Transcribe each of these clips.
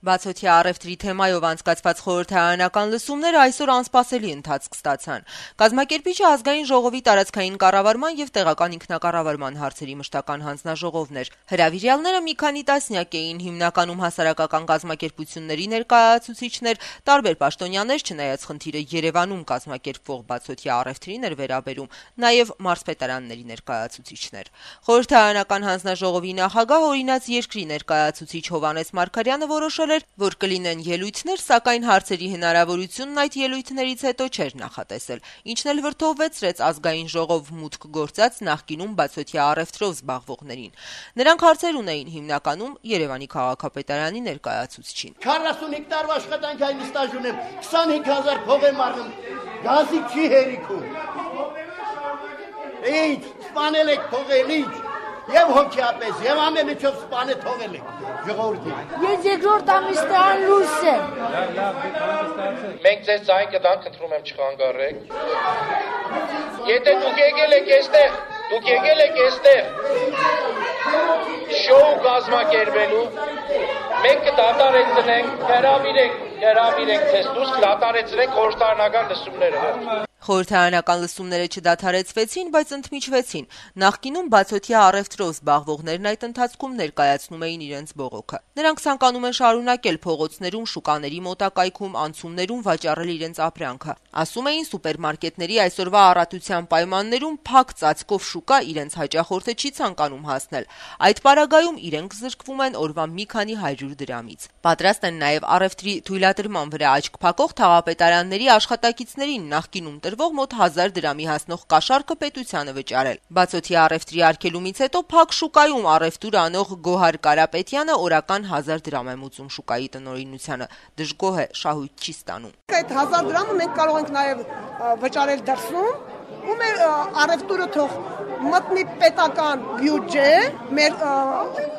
Բացօթյա առևտրի թեմայով անցկացված խորհրդարանական լսումները այսօր անսպասելի ընթացք ստացան։ Կազմակերպիչը ազգային ժողովի տարածքային կառավարման եւ տեղական ինքնակառավարման հարցերի մշտական հանձնաժողովն էր։ Հրավիրյալները մի քանի տասնյակ էին, հիմնականում հասարակական կազմակերպությունների ներկայացուցիչներ, տարբեր պաշտոնյաներ, չնայած խնդիրը Երևանում կազմակերպվող բացօթյա առևտրին էր վերաբերում, նաեւ մարզպետարանների ներկայացուցիչներ։ Խորհրդարանական հանձնաժողովի նախագահ օրինաց երկրի ներկայացուցիչ Հովհաննես Մարգարյանը որոշել որ կլինեն ելույթներ, սակայն հարցերի հնարավորությունն այդ ելույթներից հետո չէր նախատեսել, ինչն էլ վրդովվեցրեց ազգային ժողով մուտք գործած նախկինում բացօթյա առևտրով զբաղվողներին։ Նրանք հարցեր ունեին հիմնականում Երևանի քաղաքապետարանի ներկայացուցչին։ 45 տարվա աշխատանքային ստաժ ունեմ, 25000 փող եմ առնում, գազի չի հերիքում։ Ինչ, սպանել եք փողել, ինչ։ Եվ հոգեապես, եւ ամեն ինչով սպանը թողել եք, ժողովրդին։ Ես երկրորդ ամիսն լույս եմ։ Մենք ձեզ ձայն կտանք, խնդրում եմ չխանգարեք։ Եթե դուք եկել եք այստեղ շոու կազմակերպելու, մենք կդադարեցնենք, հրավիրենք ձեզ դուրս, կդադարեցնենք խորհրդարանական լսումները։ Խորհրդարանական լսումները չդադարեցվեցին, բայց ընդմիջվեցին։ Նախկինում բացօթյա առևտրով զբաղվողներն այդ ընթացքում ներկայացնում էին իրենց բողոքը։ Նրանք ցանկանում են շարունակել փողոցներում, շուկաների մոտակայքում, անցումներում վաճառել իրենց ապրանքը։ Ասում էին, սուպերմարկետների այսօրվա առատության պայմաններում փակ ծածկով շուկա իրենց հաճախորդը չի ցանկանում հասնել։ Այդ պարագայում իրենք զրկվում են օրվա մի քանի 100 դրամից։ Պատրաստ են նաև առևտրի թույլատրման վրա աչք փակող թաղապետարանների աշխատակիցներին նախկինում մոտ 1000 դրամի հասնող կաշառքը պետությանը վճարել։ Բացօթյա առևտրի արգելումից հետո փակ շուկայում առևտուր անող Գոհար Կարապետյանը օրական 1000 դրամ է մուծում շուկայի տնօրինությանը։ Դժգոհ է, շահույթ չի ստանում։ Այդ 1000 դրամը մենք կարող ենք նաև վճարել դրսում, ու մեր առևտուրը թող մտնի պետական բյուջե, մեր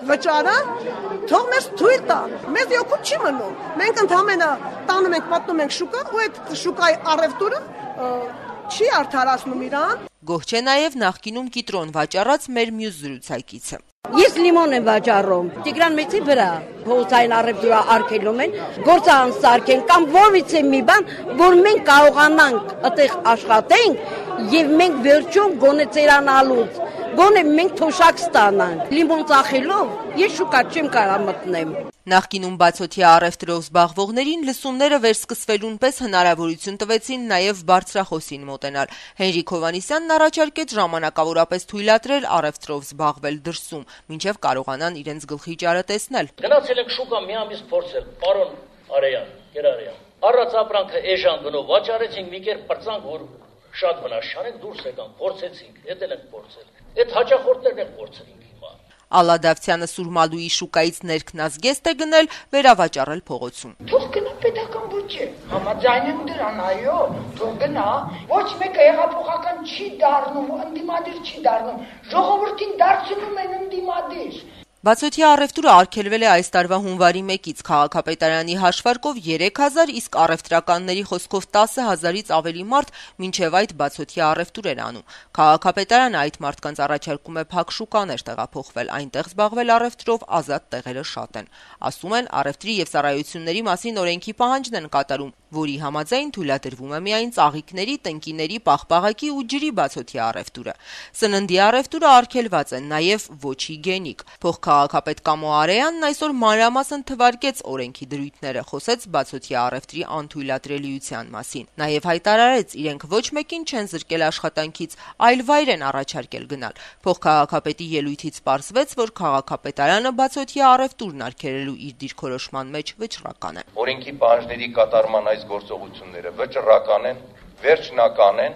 վճարը թող մեզ թույլ տան։ Մեզ օգուտ չի մնում։ Մենք ընդհանրապես տանում ենք, մտնում ենք շուկա, ու այդ շուկայի առևտուրը չի արդարացնում իրան։ Գոհ չէ նաև նախկինում կիտրոն վաճառած մեր մյուս զրուցակիցը։ Ես լիմոն եմ վաճառում։ Տիգրան Մեծի վրա փողոցային առևտուրը արգելում են, գործը անսարքեն կամ որից է մի բան, որ մենք կարողանանք այդտեղ աշխատենք եւ մենք վերջում գոնե ծերանալուց, գոնե մենք թոշակ ստանանք։ Լիմոն ծախելով ես շուկա չեմ կարող մտնեմ։ Նախկինում բացօթյա առևտրով զբաղվողներին լսումները վերսկսվելուն պես հնարավորություն տվեցին նաև բարձրախոսին մոտենալ։ Հենրիկ Հովհաննիսյանն առաջարկեց ժամանակավորապես թույլատրել առևտրով զբաղվել դրսում, մինչև կարողանան իրենց գլխի ճարը տեսնել։ Գնացել ենք շուկա մի ամիս փորձել, պարոն Արեյան, Գերարյան։ Առած ապրանքը էժան գնով վաճառեցինք, մի կերպ պրծանք, որ շատ վնաս չանենք, դուրս եկանք, փորձեցինք, ետ ենք փորձել։ Այդ հաճախորդներն են փորձել հիմա։ Ալադավցյանը Սուրմալուի շուկայից ներքնազգեստ է գնել, վերավաճառել փողոցում։ Թող գնա պետական բյուջե, համաձայն դրան, այո, թող գնա։ Ոչ մեկը հեղափոխական չի դառնում, ընդդիմադիր չի դառնում, ժողովրդին դարձնում են ընդդիմադիր։ Բացօթյա առևտուրը արգելվել է այս տարվա հունվարի 1-ից քաղաքապետարանի հաշվարկով 3000, իսկ առևտրականների խոսքով 10000-ից ավելի մարդ մինչև այդ բացօթյա առևտուր էր անում։ Քաղաքապետարանը այդ մարդկանց առաջարկում է փակ շուկաներ տեղափոխվել, այնտեղ զբաղվել առևտրով ազատ տեղերը շատ են։ Ասում են, առևտրի եւ ծառայությունների մասին օրենքի պահանջն են կատարում, որի համաձայն թույլատրվում է միայն ծաղիկների, տնկիների, պաղպաղակի ու ջրի բացօթյա առևտուրը։ Սննդի առևտուրը արգելված է, նաև ոչ հիգիենիկ։ Փոխքաղաքապետ Կամո Արեյանն այսօր մանրամասն թվարկեց օրենքի դրույթները, խոսեց բացօթյա առևտրի անթույլատրելիության մասին։ Նաև հայտարարեց, իրենք ոչ մեկին չեն զրկել աշխատանքից, այլ վայր են առաջարկել գնալ։ Փոխքաղաքապետի ելույթից պարզվեց, որ քաղաքապետարանը բացօթյա առևտուրն արգելելու իր դիրքորոշման մեջ վճռական է։ Օրենքի պահանջների կատարման այս գործողությունները վճռական են, վերջնական են,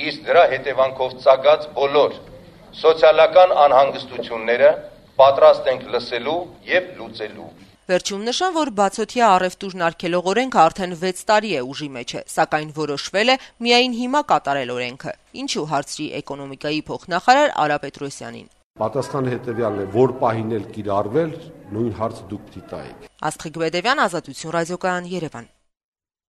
իսկ դրա հետևանքով ծագած բոլոր սոցիալական անհանգստությունները պատրաստ ենք լսելու եւ լուծելու։ Վերջում նշան, որ բացօթյա առևտուրն արգելող օրենքը արդեն 6 տարի է ուժի մեջ է, սակայն որոշվել է միայն հիմա կատարել օրենքը։ Ինչու հարցրի էկոնոմիկայի փոխնախարար Արա Պետրոսյանին։ Պատասխանը հետևյալն է, որ պահին էլ կիրառվել, նույն հարցը դուք դիտայիք։ Աստղիկ Բեդևյան, Ազատություն ռադիոկայան, Երևան։